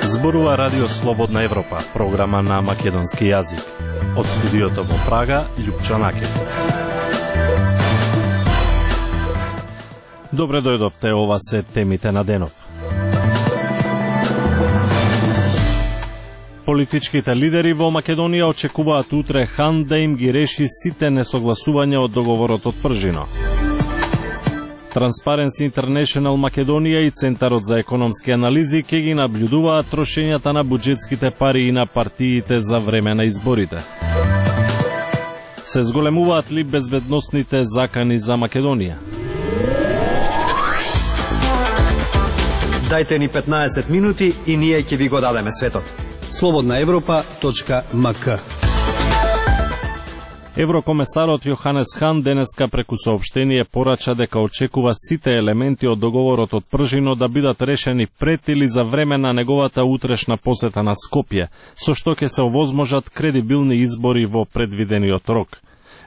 Зборува Радио Слободна Европа, програма на македонски јазик. Од студиото во Прага, Љупчо Накев. Добре дојдовте, ова се темите на денов. Политичките лидери во Македонија очекуваат утре Хан да им ги реши сите несогласувања од договорот од Пржино. Transparency International Македонија и Центарот за економски анализи ќе ги наблюдуваат трошењата на буџетските пари и на партиите за време на изборите. Се зголемуваат ли безбедносните закани за Македонија? Дајте ни 15 минути и ние ќе ви го дадеме светот. slobodnaevropa.mk. Еврокомесарот Јоханес Хан денеска преку соопштение порача дека очекува сите елементи од договорот од Пржино да бидат решени пред или за време на неговата утрешна посета на Скопје, со што ќе се овозможат кредибилни избори во предвидениот рок.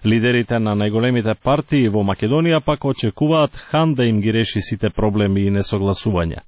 Лидерите на најголемите партии во Македонија пак очекуваат Хан да им ги реши сите проблеми и несогласувања.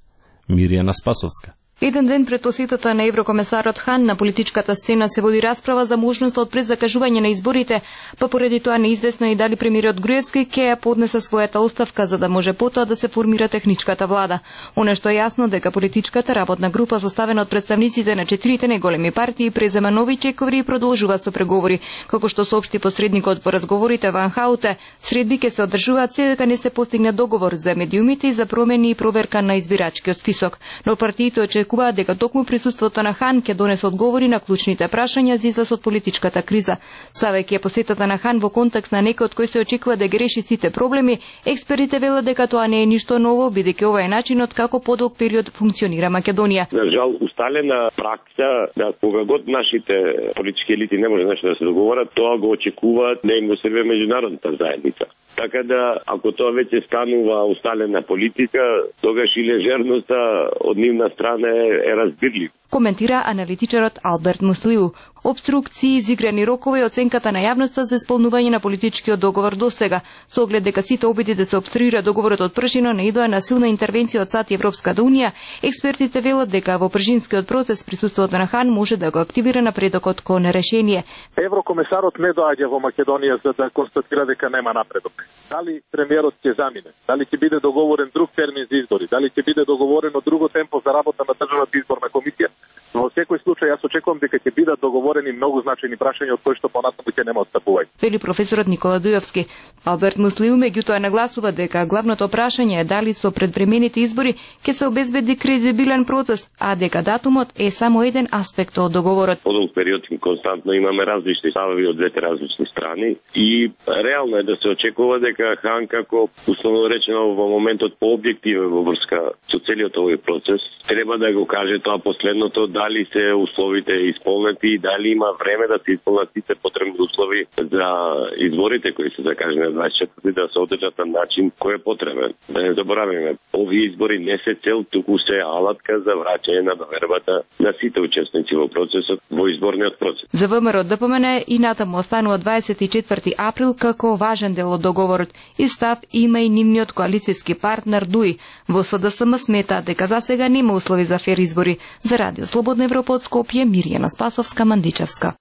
Миријана Спасовска. Еден ден пред посетата на еврокомесарот Хан на политичката сцена се води расправа за можноста од презакажување на изборите, па поради тоа неизвестно и дали премиерот Груевски ќе ја поднесе својата оставка за да може потоа да се формира техничката влада. Оно што е јасно дека политичката работна група составена од представниците на 4 најголеми партии презема нови чековри и продолжува со преговори. Како што соопшти посредникот во разговорите Ван Хауте, средби ќе се одржуваат се дека не се постигне договор за медиумите и за промени и проверка на избирачкиот список. Но партиите очекуваат дека токму присуството на Хан ќе донесе одговори на клучните прашања за излаз од политичката криза. Ставајќи посетата на Хан во контекст на некој од кој се очекува да ги реши сите проблеми, експертите велат дека тоа не е ништо ново, бидејќи ова е начинот како подолг период функционира Македонија. На жал, усталена пракса да кога год нашите политички елити не може нешто да се договорат, тоа го очекуваат да им го сервира меѓународната заедница. Така да, ако тоа веќе станува усталена политика, тогаш и лежерноста од нивна страна е разбирлив. Коментира аналитичарот Алберт Муслиу. Обструкции, изиграни рокови и оценката на јавноста за исполнување на политичкиот договор досега, со оглед дека сите обиди да се обструира договорот од Пржино наидоа на силна интервенција од САД и Европската унија, експертите велат дека во пржинскиот процес присуството на Хан може да го активира напредокот кон решение. Еврокомесарот не доаѓа во Македонија за да констатира дека нема напредок. Дали премиерот ќе замине, дали ќе биде договорен друг термин за избори, дали ќе биде договорено друго темпо за работа на државната изборна комисија. Во секој случај јас очекувам дека ќе бидат договорени многу значајни прашања од кои што понатаму ќе нема отстапување. Вели професорот Никола Дујовски. Алберт Муслиу меѓутоа нагласува дека главното прашање е дали со предвремените избори ќе се обезбеди кредибилен процес, а дека датумот е само еден аспект од договорот. Подолг период константно имаме различни ставови од двете различни страни и реално е да се очекува дека Хан како условно речено во моментот пообјективен во врска со целиот овој процес треба да го каже тоа последното, дали се условите исполнети и дали има време да се исполнат сите потребни услови за изборите кои се закажани на 24 да се одржат на начин кој е потребен. Да не забораваме, овие избори не се цел, туку се алатка за враќање на довербата на сите учесници во процесот, во изборниот процес. За ВМРО ДПМН и натаму останува 24 април како важен дел од договорот и став има и нивниот коалицијски партнер ДУИ. Во СДСМ смета дека засега нема услови за фер избори. За Радио Слободна Европа од Скопје, Миријана Спасовска, Мандичевска.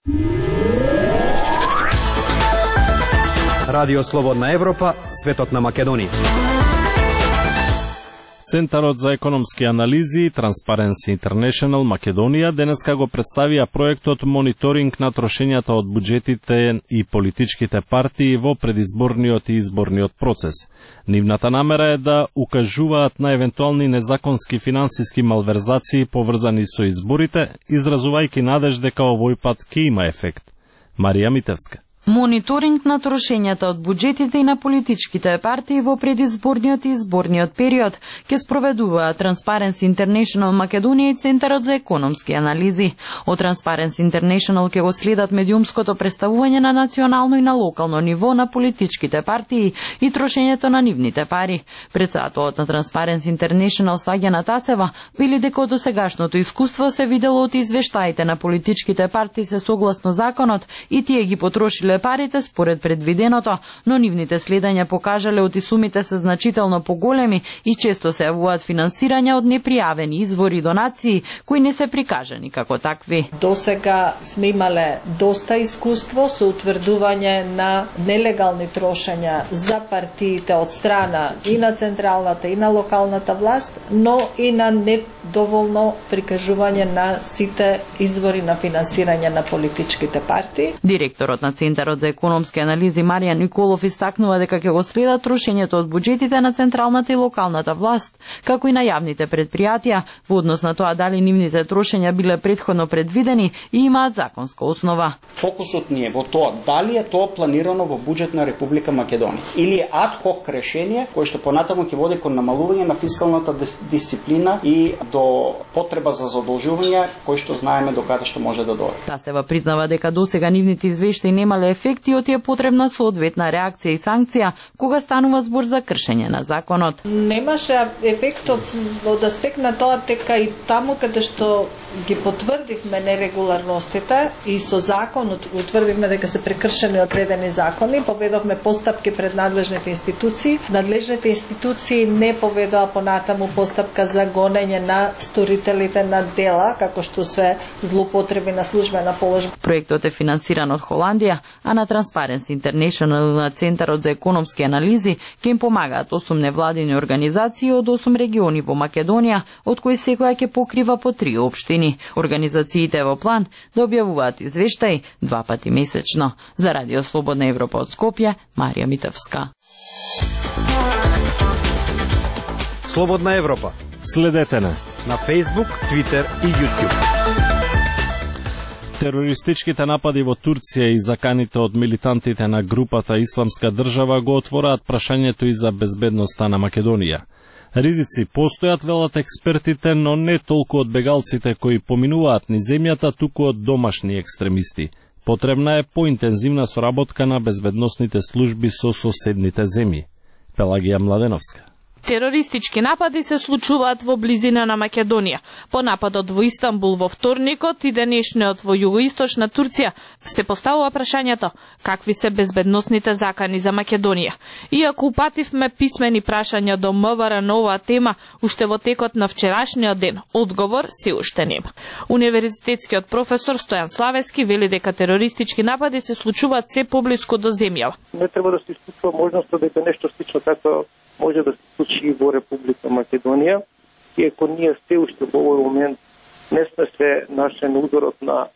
Радио Слободна Европа, светот на Македонија. Центарот за економски анализи Transparency International Македонија денеска го представија проектот мониторинг на трошењата од буџетите и политичките партии во предизборниот и изборниот процес. Нивната намера е да укажуваат на евентуални незаконски финансиски малверзации поврзани со изборите, изразувајќи надеж дека овој пат ќе има ефект. Марија Митевска. Мониторинг на трошењата од буџетите и на политичките партии во предизборниот и изборниот период ќе спроведуваат Transparency International Македонија и Центарот за економски анализи. Од Transparency International ќе го следат медиумското представување на национално и на локално ниво на политичките партии и трошењето на нивните пари. Председателот на Transparency International Саѓана Тасева вели дека од досегашното искуство се видело од извештаите на политичките партии се согласно законот и тие ги потрошиле биле парите според предвиденото, но нивните следања покажале оти сумите се значително поголеми и често се јавуваат финансирања од непријавени извори и донации кои не се прикажани како такви. Досега сме имале доста искуство со утврдување на нелегални трошења за партиите од страна и на централната и на локалната власт, но и на недоволно прикажување на сите извори на финансирање на политичките партии. Директорот на Центарот за економски анализи Маријан Николов истакнува дека ќе го следат трошењето од буџетите на централната и локалната власт, како и на јавните предпријатија, во однос на тоа дали нивните трошења биле претходно предвидени и имаат законска основа. Фокусот ни е во тоа дали е тоа планирано во буџет на Република Македонија или е ад хок решение кое што понатаму ќе води кон намалување на фискалната дисциплина и до потреба за задолжување кој што знаеме до каде што може да дојде. Тасева признава дека досега нивните извештаи немале ефекти и оти е потребна соодветна реакција и санкција кога станува збор за кршење на законот. Немаше ефектот од аспект на тоа дека и таму каде што ги потврдивме нерегуларностите и со закон утврдивме дека се прекршени одредени закони, поведовме постапки пред надлежните институции. Надлежните институции не поведоа понатаму постапка за гонење на сторителите на дела, како што се злоупотреби на службена положба. Проектот е финансиран од Холандија, а на Transparency International на Центарот за економски анализи ќе им помагаат 8 невладини организации од 8 региони во Македонија, од кои секоја ќе покрива по 3 општини. Организациите во план да објавуваат извештаи 2 пати месечно. За Радио Слободна Европа од Скопје, Марија Митовска. Слободна Европа. Следете на Facebook, Twitter и YouTube. Терористичките напади во Турција и заканите од милитантите на групата Исламска држава го отвораат прашањето и за безбедноста на Македонија. Ризици постојат, велат експертите, но не толку од бегалците кои поминуваат низ земјата, туку од домашни екстремисти. Потребна е поинтензивна соработка на безбедносните служби со соседните земји. Пелагија Младеновска. Терористички напади се случуваат во близина на Македонија. По нападот во Истанбул во вторникот и денешниот во југоисточна Турција се поставува прашањето какви се безбедносните закани за Македонија. Иако упативме писмени прашања до МВР на оваа тема уште во текот на вчерашниот ден, одговор се уште нема. Универзитетскиот професор Стојан Славески вели дека терористички напади се случуваат се поблиску до земјава. Не треба да се исклучува можноста дека нешто слично како може да се случи во Република Македонија, иако ние се уште во овој момент не сме се нашли на ударот на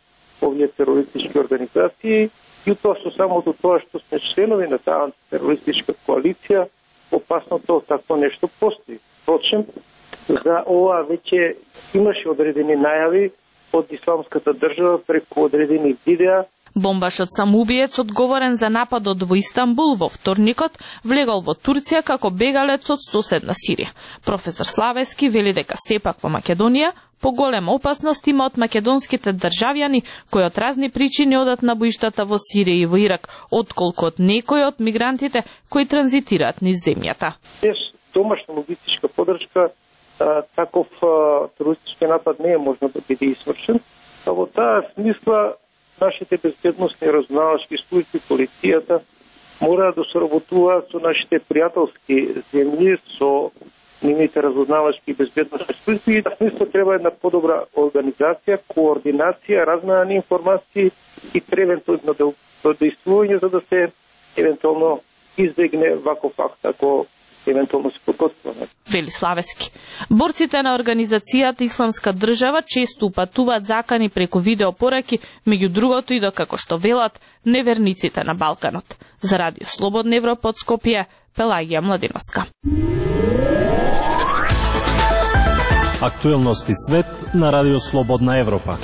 овие терористички организации, и тоа со самото тоа што сме членови на таа антитерористичка коалиција, опасното такво нешто постои. Впрочем, за ова веќе имаше одредени најави од Исламската држава преку одредени видеа. Бомбашот самоубиец одговорен за нападот во Истанбул во вторникот влегол во Турција како бегалец од соседна Сирија. Професор Славески вели дека сепак во Македонија поголема опасност има од македонските државјани кои од разни причини одат на боиштата во Сирија и во Ирак, отколку од некои од мигрантите кои транзитираат низ земјата. Без домашна логистичка поддршка таков терористички напад не е можно да биде извршен. А во таа смисла нашите безбедносни разузнавачки служби, полицијата, мора да соработуваат со нашите пријателски земји, со нивните разузнавачки и безбедносни служби. И на смисла треба една подобра организација, координација, размена на информации и превентивно действување за да се евентуално избегне ваков факт ако евентуално се подготвува. Вели Славески. Борците на организацијата Исламска држава често упатуваат закани преку видеопораки, меѓу другото и до, како што велат, неверниците на Балканот. За Радио Слободна Европа од Скопје, Пелагија Младеновска. Актуелности свет на Радио Слободна Европа.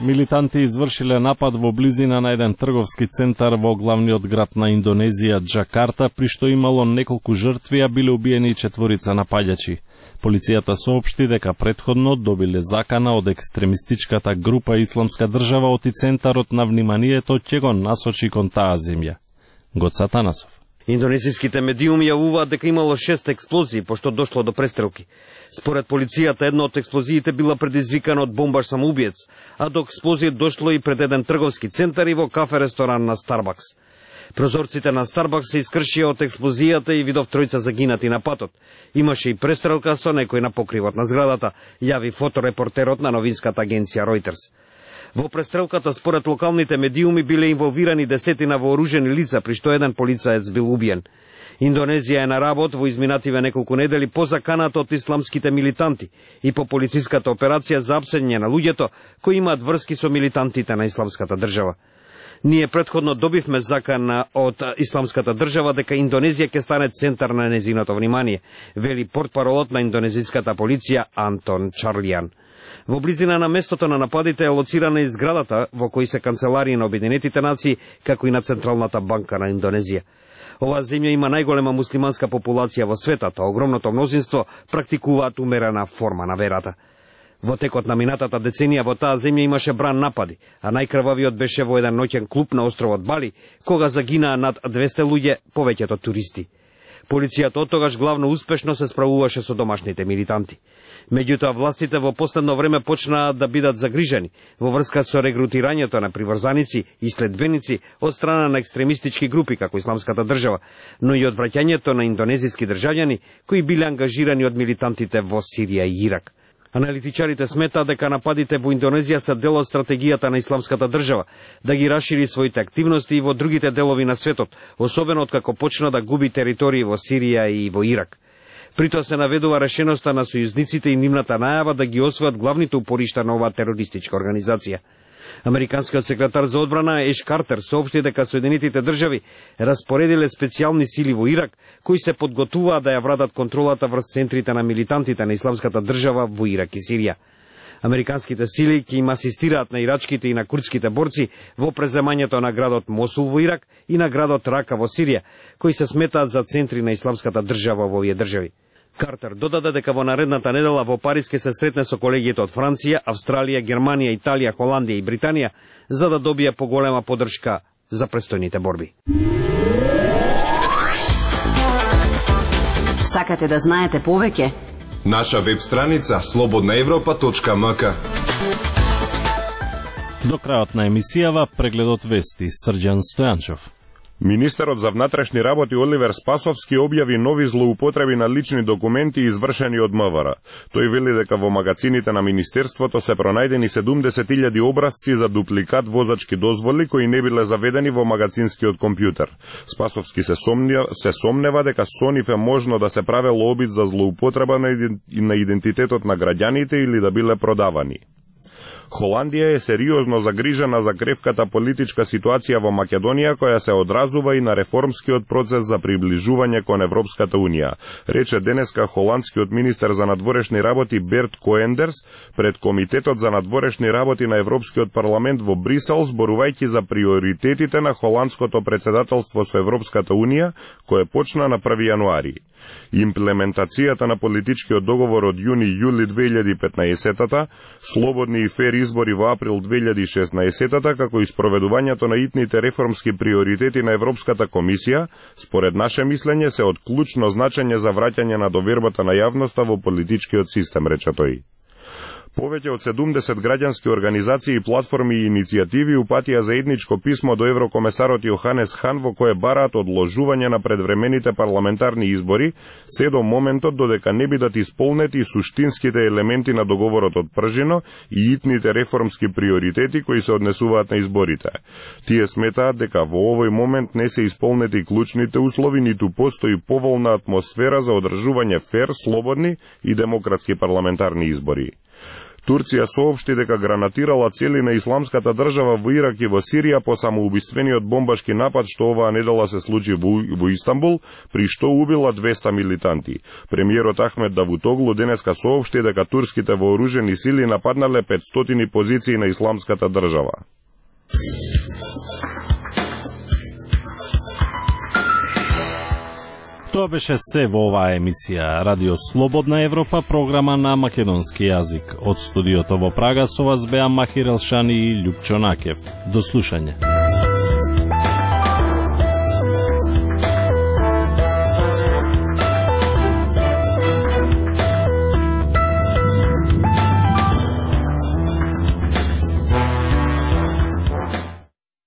Милитанти извршиле напад во близина на еден трговски центар во главниот град на Индонезија, Џакарта, при што имало неколку жртви, а биле убиени 4 напаѓачи. Полицијата соопшти дека претходно добиле закана од екстремистичката група Исламска држава оти центарот на вниманието ќе го насочи кон таа земја. Гоца Танасов. Индонезиските медиуми јавуваат дека имало 6 експлозии, пошто дошло до престрелки. Според полицијата, една од експлозиите била предизвикана од бомбаш самоубиец, а до експлозија дошло и пред еден трговски центар и во кафе-ресторан на Старбакс. Прозорците на Старбакс се искршија од експлозијата и видов тројца загинати на патот. Имаше и престрелка со некој на покривот на зградата, јави фоторепортерот на новинската агенција Reuters. Во престрелката, според локалните медиуми, биле инволвирани десетина вооружени лица, при што еден полицаец бил убиен. Индонезија е на работ во изминативе неколку недели по заканата од исламските милитанти и по полициската операција за апсење на луѓето кои имаат врски со милитантите на Исламската држава. Ние предходно добивме закана од Исламската држава дека Индонезија ќе стане центар на незиното внимание, вели портпаролот на индонезиската полиција Антон Чарлијан. Во близина на местото на нападите е лоцирана и зградата во кои се канцеларии на Обединетите нации, како и на Централната банка на Индонезија. Оваа земја има најголема муслиманска популација во светот, а огромното мнозинство практикуваат умерена форма на верата. Во текот на минатата деценија во таа земја имаше бран напади, а најкрвавиот беше во еден ноќен клуб на островот Бали, кога загинаа над 200 луѓе, повеќето туристи. Полицијата оттогаш главно успешно се справуваше со домашните милитанти. Меѓутоа, властите во последно време почнаа да бидат загрижени во врска со регрутирањето на приврзаници и следбеници од страна на екстремистички групи како Исламската држава, но и од враќањето на индонезиски државјани кои биле ангажирани од милитантите во Сирија и Ирак. Аналитичарите сметаат дека нападите во Индонезија се дел од стратегијата на Исламската држава да ги расшири своите активности и во другите делови на светот, особено откако почна да губи територии во Сирија и во Ирак. Притоа се наведува решеноста на сојузниците и нивната најава да ги освојат главните упоришта на оваа терористичка организација. Американскиот секретар за одбрана Еш Картер соопшти дека Соединетите држави распоредиле специјални сили во Ирак, кои се подготвуваат да ја вратат контролата врз центрите на милитантите на Исламската држава во Ирак и Сирија. Американските сили ќе им асистираат на ирачките и на курдските борци во преземањето на градот Мосул во Ирак и на градот Рака во Сирија, кои се сметаат за центри на Исламската држава во овие држави. Картер додаде дека во наредната недела во Париз ќе се сретне со колегиите од Франција, Австралија, Германија, Италија, Холандија и Британија за да добие поголема поддршка за престојните борби. Сакате да знаете повеќе? Наша веб страница slobodnaevropa.mk. До крајот на емисијава прегледот вести Срđan Стојанчов. Министерот за внатрешни работи Оливер Спасовски објави нови злоупотреби на лични документи извршени од МВР. Тој вели дека во магазините на Министерството се пронајдени 70.000 образци за дупликат возачки дозволи кои не биле заведени во магазинскиот компјутер. Спасовски се сомнева дека со нив е можно да се правело обид за злоупотреба на идентитетот на граѓаните или да биле продавани. Холандија е сериозно загрижена за кревката политичка ситуација во Македонија, која се одразува и на реформскиот процес за приближување кон Европската Унија, рече денеска холандскиот министер за надворешни работи Берт Коендерс пред Комитетот за надворешни работи на Европскиот парламент во Брисел, зборувајќи за приоритетите на холандското председателство со Европската Унија, кое почна на 1 јануари. Имплементацијата на политичкиот договор од јуни-јули 2015-та, слободни и фер избори во април 2016-та, како и спроведувањето на итните реформски приоритети на Европската комисија, според наше мислење се од клучно значење за враќање на довербата на јавноста во политичкиот систем, рече тој. Повеќе од 70 граѓански организации и платформи и иницијативи упатија заедничко писмо до еврокомесарот Јоханес Хан во кое бараат одложување на предвремените парламентарни избори, се до моментот додека не бидат исполнети суштинските елементи на договорот од Пржино и итните реформски приоритети кои се однесуваат на изборите. Тие сметаат дека во овој момент не се исполнети клучните услови, ниту постои поволна атмосфера за одржување фер, слободни и демократски парламентарни избори. Турција соопшти дека гранатирала цели на Исламската држава во Ирак и во Сирија по самоубиствениот бомбашки напад што оваа недела се случи во Истанбул, при што убила 200 милитанти. Премиерот Ахмед Давутоглу денеска соопшти дека турските вооружени сили нападнале 500 позиции на Исламската држава. Тоа беше се во оваа емисија Радио Слободна Европа, програма на македонски јазик. Од студиото во Прага со вас беа Махир Елшани и Љупчо Накев. До слушање.